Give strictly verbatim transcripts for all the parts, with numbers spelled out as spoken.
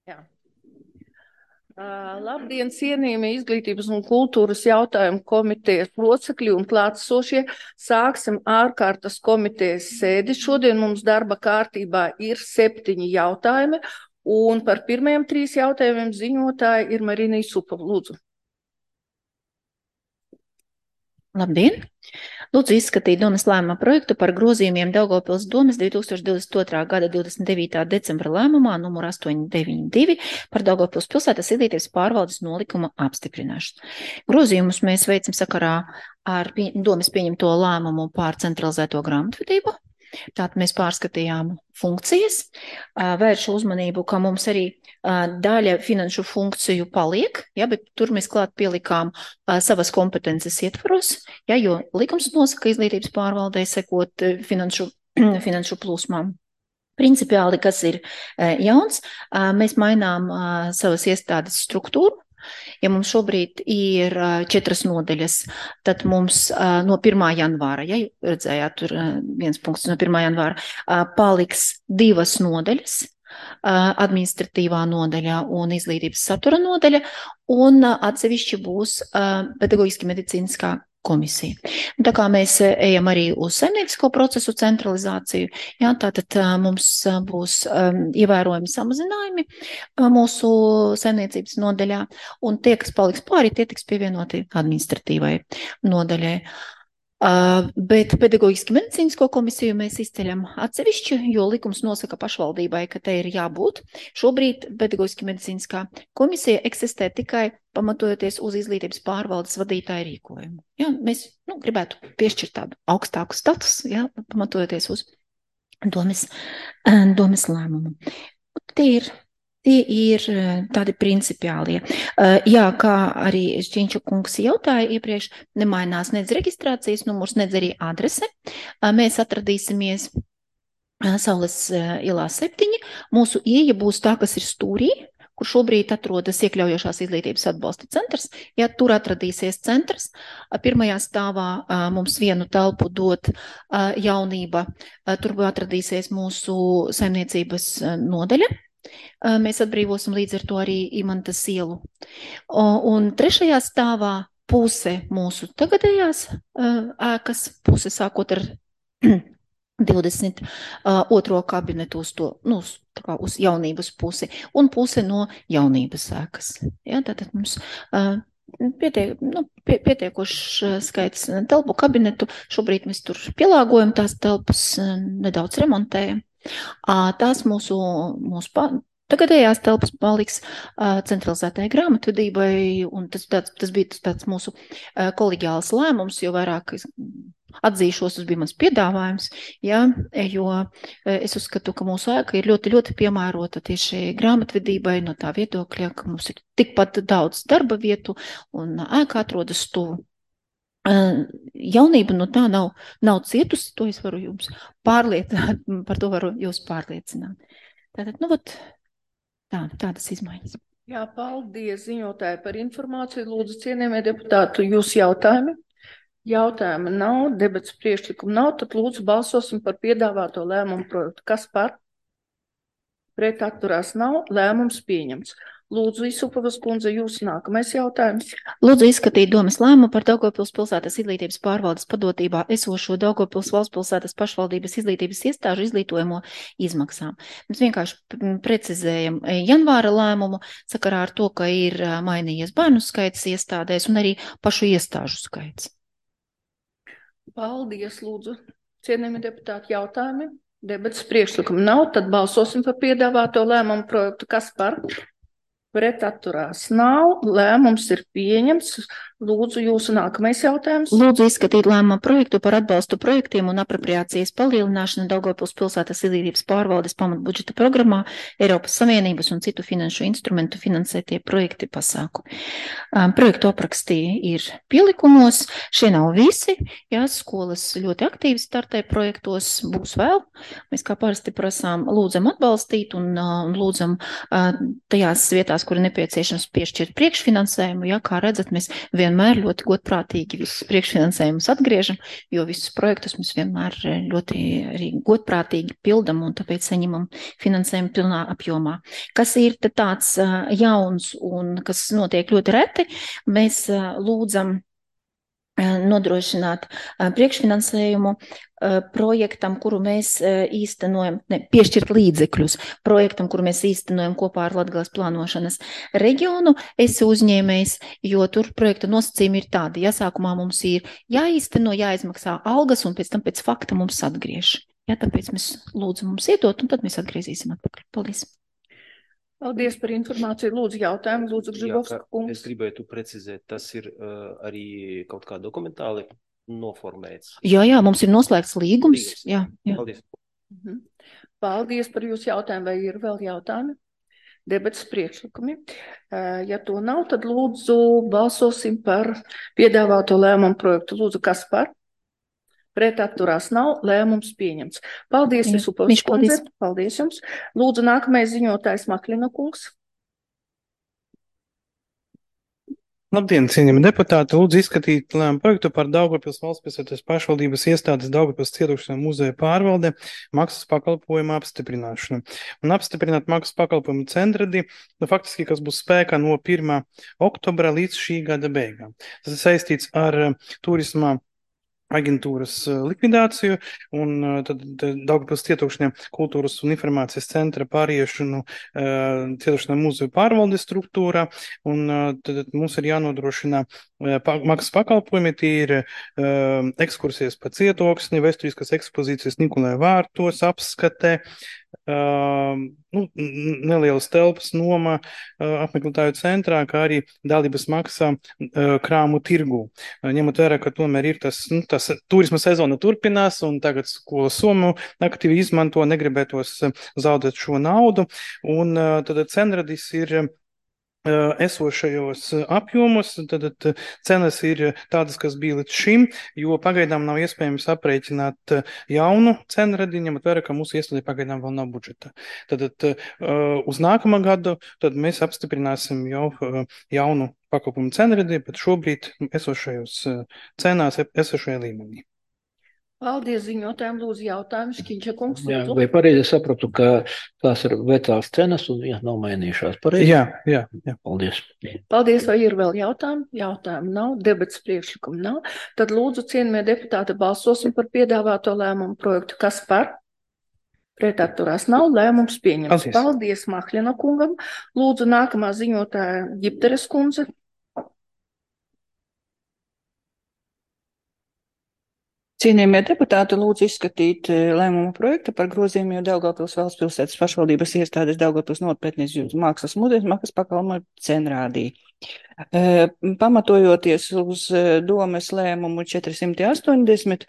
Jā. Uh, labdien, cienījami izglītības un kultūras jautājumu komitejas locekļi un klātsošie. Sāksim ārkārtas komitejas sēdi. Šodien mums darba kārtībā ir septiņi jautājumi, un par pirmajiem trīs jautājumiem ziņotāja ir Marina Isupova. Lūdzu. Labdien! Lūdzu izskatīt domes lēmuma projektu par grozījumiem Daugavpils domes divi tūkstoši divdesmit otrā gada divdesmit devītā decembra lēmumā numur astoņi deviņi divi par Daugavpils pilsētas izglītības pārvaldes nolikuma apstiprināšanu. Grozījumus mēs veicam sakarā ar pie, domes pieņemto lēmumu pār centralizēto grāmatvedību. Tātad mēs pārskatījām funkcijas, vēršu uzmanību, ka mums arī daļa finanšu funkciju paliek, ja, bet tur mēs klāt pielikām savas kompetences ietvaros, ja, jo likums nosaka izglītības pārvaldē sekot finanšu, finanšu plūsmām. Principiāli, kas ir jauns, mēs mainām savas iestādes struktūru. Ja mums šobrīd ir četras nodeļas, tad mums no pirmā janvāra, ja redzējāt, tur viens punkts no pirmā janvāra, paliks divas nodeļas, administratīvā nodaļa un izglītības satura nodaļa, un atsevišķi būs pedagoģiski medicīniskā komisija. Tā kā mēs ejam arī uz saimniecisko procesu centralizāciju, jā, tātad mums būs um, ievērojami samazinājumi mūsu saimniecības nodaļā, un tie, kas paliks pāri, tie tiks pievienoti administratīvai nodaļai. Uh, bet pedagoģiski medicīnisko komisiju mēs izceļam atsevišķi, jo likums nosaka pašvaldībai, ka te ir jābūt. Šobrīd pedagoģiski medicīniskā komisija eksistē tikai pamatojoties uz izglītības pārvaldes vadītāju rīkojumu. Ja, mēs nu, gribētu piešķirt tādu augstāku statusu, ja, pamatojoties uz domes, domes lēmumu. Tie ir Tie ir tādi principiālie. Jā, kā arī Šķiņča kungs jautāja iepriekš, nemainās nedz reģistrācijas numurs, nedz arī adrese. Mēs atradīsimies Saules ielā septiņi. Mūsu ieja būs tā, kas ir stūrī, kur šobrīd atrodas iekļaujošās izglītības atbalsta centrs. Ja tur atradīsies centrs, pirmajā stāvā mums vienu telpu dot jaunība, tur atradīsies mūsu saimniecības nodaļa. Mēs atbrīvosim līdz ar to arī Imantas ielu. Un trešajā stāvā puse mūsu tagadējās ēkas, puse sākot ar divdesmit otro kabinetu uz to, nu, tā kā uz jaunības pusi, un puse no jaunības ēkas. Ja, tātad mums pietiek, nu, pie, pietiekošs skaits telpu kabinetu, šobrīd mēs tur pielāgojam tās telpas, nedaudz remontējam. Tās mūsu, mūsu tagadējās telpas paliks centralizētai grāmatvedībai, un tas, tāds, tas bija tāds mūsu koleģiāls lēmums, jo vairāk atzīšos, tas bija mans piedāvājums, ja, jo es uzskatu, ka mūsu ēka ir ļoti, ļoti piemērota tieši grāmatvedībai no tā viedokļa, ka mums ir tikpat daudz darba vietu un ēka atrodas tuvu. Jaunība no tā nav, nav cietusi, to es varu jums pārliecināt, par to varu jūs pārliecināt. Tātad, nu, vat, tā, tādas izmaiņas. Jā, paldies ziņotāji par informāciju. Lūdzu, cienījamie deputāti, jūs jautājumi? Jautājumi nav, debats priekšlikumu nav, tad lūdzu balsosim par piedāvāto lēmumu projektu. Kas par? Pret atturās nav, lēmums pieņemts. Lūdzu, Isupovas kundze, jūs nākamais jautājums. Lūdzu izskatīt domes lēmumu par Daugavpils pilsētas izglītības pārvaldes padotībā esošo Daugavpils valsts pilsētas pašvaldības izglītības iestāžu izglītojamo izmaksām. Mēs vienkārši precizējam janvāra lēmumu sakarā ar to, ka ir mainījies bērnu skaits iestādēs un arī pašu iestāžu skaits. Paldies, lūdzu. Cienījami deputāti, jautājumi? Debats priekšlikumu nav, tad balsosim par piedāvāto lēmumu projektu. Kas par? Pret atturās nav, lēmums ir pieņemts. Lūdzu, jūsu nākamais jautājums. Lūdzu izskatīt lēmumu projektu par atbalstu projektiem un apropriācijas palielināšanu Daugavpils pilsētas izglītības pārvaldes pamatbudžeta programmā Eiropas Savienības un citu finanšu instrumentu finansētie projekti pasākumi. Um, projektu aprakstī ir pielikumos, šie nav visi, jā, skolas ļoti aktīvi startē projektos, būs vēl. Mēs kā parasti prasām, lūdzam atbalstīt un, uh, un lūdzam uh, tajās vietās, kur ir nepieciešams piešķirt priekšfinansējumu, jā, kā redzat, mēs vienmēr ļoti godprātīgi visus priekšfinansējumus atgriežam, jo visus projektus mēs vienmēr ļoti arī godprātīgi pildam un tāpēc saņemam finansējumu pilnā apjomā. Kas ir tāds jauns un kas notiek ļoti reti, mēs lūdzam nodrošināt priekšfinansējumu projektam, kuru mēs īstenojam, ne, piešķirt līdzekļus projektam, kuru mēs īstenojam kopā ar Latgales plānošanas reģionu. Es uzņēmējs, jo tur projekta nosacījumi ir tādi. Ja sākumā mums ir jāīsteno, jāizmaksā algas un pēc tam pēc fakta mums atgriež. Ja, tāpēc mēs lūdzam mums iedot un tad mēs atgriezīsim atpakaļ. Paldies. Paldies par informāciju. Lūdzu, jautājumu. Lūdzu, Grzibovska kungs. Es gribētu precizēt, tas ir uh, arī kaut kā dokumentāli noformēts. Jā, jā, mums ir noslēgts līgums. līgums. Jā, jā. Paldies. Mhm. Paldies par jūsu jautājumu. Vai ir vēl jautājumi? Debates priekšlikumi. Uh, ja to nav, tad lūdzu balsosim par piedāvāto lēmumu projektu. Lūdzu, kas par? Pret atturās nav, lēmums pieņemts. Paldies, Visupovs kundze. Paldies jums. Lūdzu, nākamais ziņotājs Maklina kungs. Labdien, cienījami deputāti. Lūdzu izskatīt lēmumu projektu par Daugavpils valstspilsētas pašvaldības iestādes Daugavpils cietušajā muzeja pārvalde maksas pakalpojumu apstiprināšanu. Un apstiprināt maksas pakalpojumu centradi, nu, faktiski, kas būs spēkā no pirmā oktobra līdz šī gada beigām. Tas ir saistīts ar turismā aģentūras likvidāciju un tad Daugavpils cietokšņa kultūras un informācijas centra pāriešanu uh, cietokšņa muzeju pārvaldes struktūrā un uh, tad mums ir jānodrošina uh, pa, maksas pakalpojumi, tie ir uh, ekskursijas pa cietoksni, vēsturiskas ekspozīcijas Nikolai vārtos, apskate, Uh, nu, nelielas telpas noma uh, apmeklētāju centrā, kā arī dalības maksā uh, krāmu tirgu. Uh, ņemot vērā, ka tomēr ir tas, nu, tas turisma sezona turpinās un tagad skola Somu aktīvi izmanto, negribētos uh, zaudēt šo naudu. Un uh, tad centradis ir esošajos apjomos, tad cenas ir tādas, kas bija līdz šim, jo pagaidām nav iespējams aprēķināt jaunu cenradi, ņemot vērā, ka mūsu iestādē pagaidām vēl nav budžeta. Tad uz nākamā gadu tad mēs apstiprināsim jau jaunu pakalpojumu cenradi, bet šobrīd esošajos cenās, esošajā līmenī. Paldies ziņotājiem, lūdzu jautājumu, Škiņša kungs. Jā, vai pareizi sapratu, ka tās ir vecās cenas un jā, nav mainījušās, pareizi? Jā, jā, jā. Paldies. Paldies, vai ir vēl jautājumi? Jautājumu nav, debats priekšlikumu nav. Tad lūdzu, cienījamie deputāti, balsosim par piedāvāto lēmumu projektu. Kas par? Pret atturās nav, lēmums pieņems. Paldies, Paldies Mahļina kungam. Lūdzu, nākamā ziņotāja Ģipteres kundze. Cienījamie deputāti, lūdzu izskatīt lēmumu projektu par grozījumiem Daugavpils valstspilsētas pašvaldības iestādes Daugavpils nopietnīs mākslas muzejas maksas pakalpojumu cenrādī. Pamatojoties uz domes lēmumu četri astoņdesmit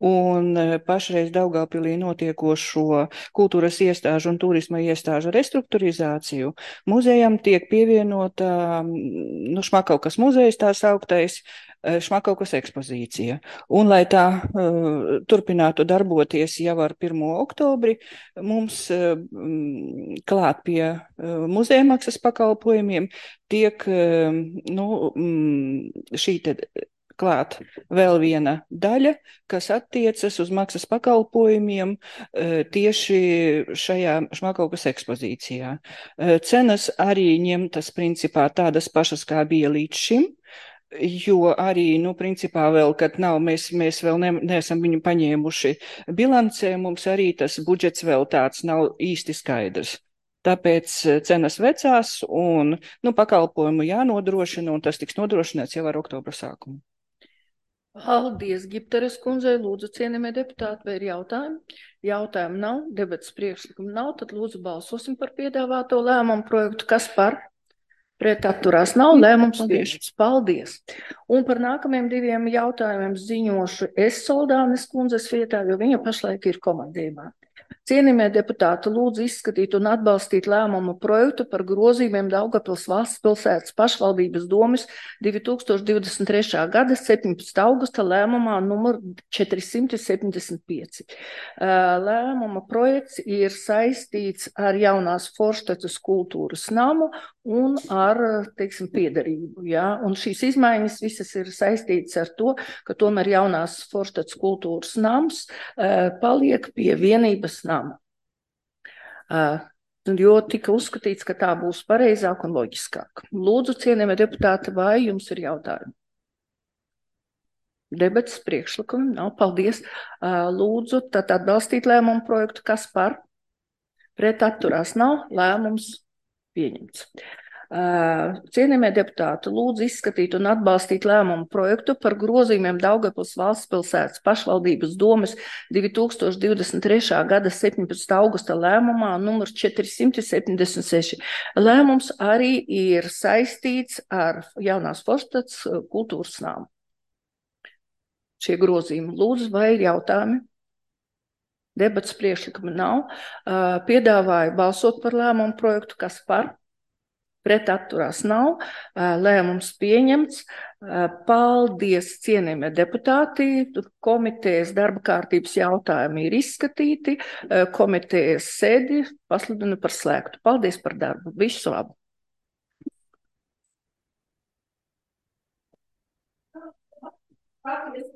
un pašreiz Daugavpilī notiekošo kultūras iestāžu un turisma iestāžu restruktūrizāciju, muzejam tiek pievienota nu, Šmakaukas muzejs, tā sauktais Šmakaukas ekspozīcija. Un, lai tā uh, turpinātu darboties jau ar pirmo oktobri, mums uh, klāt pie uh, muzeja maksas pakalpojumiem tiek uh, nu, um, šī te klāt vēl viena daļa, kas attiecas uz maksas pakalpojumiem uh, tieši šajā Šmakaukas ekspozīcijā. Uh, cenas arī ņemtas principā tādas pašas, kā bija līdz šim, jo arī, nu, principā vēl, kad nav, mēs, mēs vēl ne, neesam viņu paņēmuši bilancē, mums arī tas budžets vēl tāds nav īsti skaidrs. Tāpēc cenas vecās un, nu, pakalpojumu jānodrošina, un tas tiks nodrošināts jau ar oktobra sākumu. Paldies, Ģipteres kundzei. Lūdzu, cienījamie deputāti, vai ir jautājumi? Jautājumu nav, debats priekšlikumu nav, tad lūdzu balsosim par piedāvāto lēmumu projektu. Kas par? Pret atturās nav, lēmums pieņemts. Paldies. Un par nākamajiem diviem jautājumiem ziņošu es Soldānes kundzes vietā, jo viņa pašlaik ir komandējumā. Cienījamie deputāti, lūdzu izskatīt un atbalstīt lēmumu projektu par grozījumiem Daugavpils valstspilsētas pašvaldības domes divi tūkstoši divdesmit trešā gada septiņpadsmitā augusta lēmumā numur četri septiņdesmit pieci. Lēmuma projekts ir saistīts ar jaunās Forštecas kultūras namu un ar, teiksim, piederību. Ja? Un šīs izmaiņas visas ir saistītas ar to, ka tomēr jaunās Forštats kultūras nams uh, paliek pie vienības nama. Uh, jo tika uzskatīts, ka tā būs pareizāk un loģiskāk. Lūdzu, cienījamie deputāti, vai jums ir jautājumi? Debates priekšlikumi nav. Paldies. Lūdzu, tad atbalstīt lēmumu projektu. Kas par? Pret atturās nav. Lēmums pieņemts. Cienījamie deputāti, lūdzu izskatīt un atbalstīt lēmumu projektu par grozījumiem Daugavpils valsts pilsētas pašvaldības domes divi tūkstoši divdesmit trešā gada septiņpadsmitā augusta lēmumā numurs četri simti septiņdesmit seši. Lēmums arī ir saistīts ar jaunās Forštats kultūras nāmu. Šie grozījumi. Lūdzu, vai ir jautājumi? Debats priekšlikumi nav. Piedāvāju balsot par lēmumu projektu. Kas par? Pret atturās nav. Lēmums pieņemts. Paldies, cienījamie deputāti. Komitejas darba kārtības jautājumi ir izskatīti. Komitejas sēdi pasludinu par slēgtu. Paldies par darbu. Visu labu. Paldies.